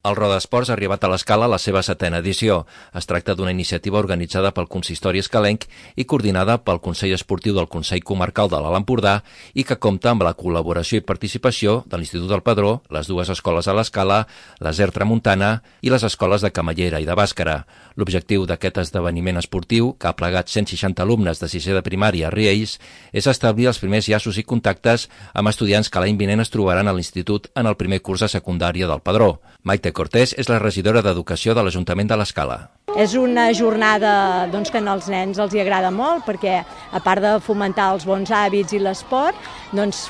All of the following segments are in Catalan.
El Rodasports ha arribat a l'Escala a la seva 7a edició. Es tracta d'una iniciativa organitzada pel Consistori Escalenc i coordinada pel Consell Esportiu del Consell Comarcal de l'Alt Empordà i que compta amb la col·laboració i participació de l'Institut del Padró, les dues escoles a l'Escala, la SER Tramuntana i les escoles de Camallera i de Bàscara. L'objectiu d'aquest esdeveniment esportiu, que ha plegat 160 alumnes de 6è de primària a Riells, és establir els primers llaços i contactes amb estudiants que l'any vinent es trobaran a l'Institut en el primer curs de secundària del Padró. Maite Cortés és la regidora d'Educació de l'Ajuntament de l'Escala. És una jornada que als nens els agrada molt perquè, a part de fomentar els bons hàbits i l'esport,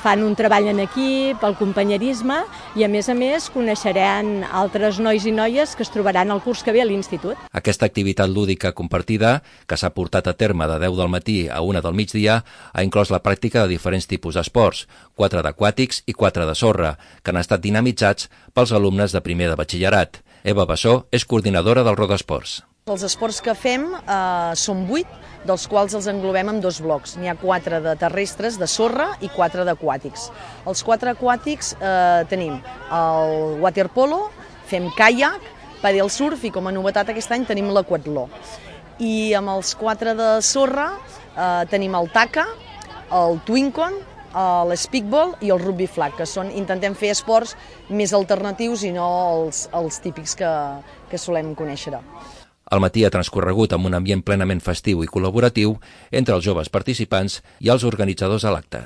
fan un treball en equip, el companyerisme i, a més, coneixeran altres nois i noies que es trobaran al curs que ve a l'institut. Aquesta activitat lúdica compartida, que s'ha portat a terme de 10 del matí a 1 del migdia, ha inclòs la pràctica de diferents tipus d'esports, 4 d'aquàtics i 4 de sorra, que han estat dinamitzats pels alumnes de primer de batxillerat. Eva Bassó és coordinadora del Rodasports. Els esports que fem són 8, dels quals els englobem en 2 blocs. N'hi ha 4 de terrestres, de sorra, i 4 d'aquàtics. Els 4 aquàtics tenim el waterpolo, fem caiac, padel surf i com a novetat aquest any tenim l'aquatló. I amb els 4 de sorra tenim el taca, el twincon, l'speakball i el rugby flag, que intentem fer esports més alternatius i no els típics que solem conèixer. El matí ha transcorregut amb un ambient plenament festiu i col·laboratiu entre els joves participants i els organitzadors de l'acte.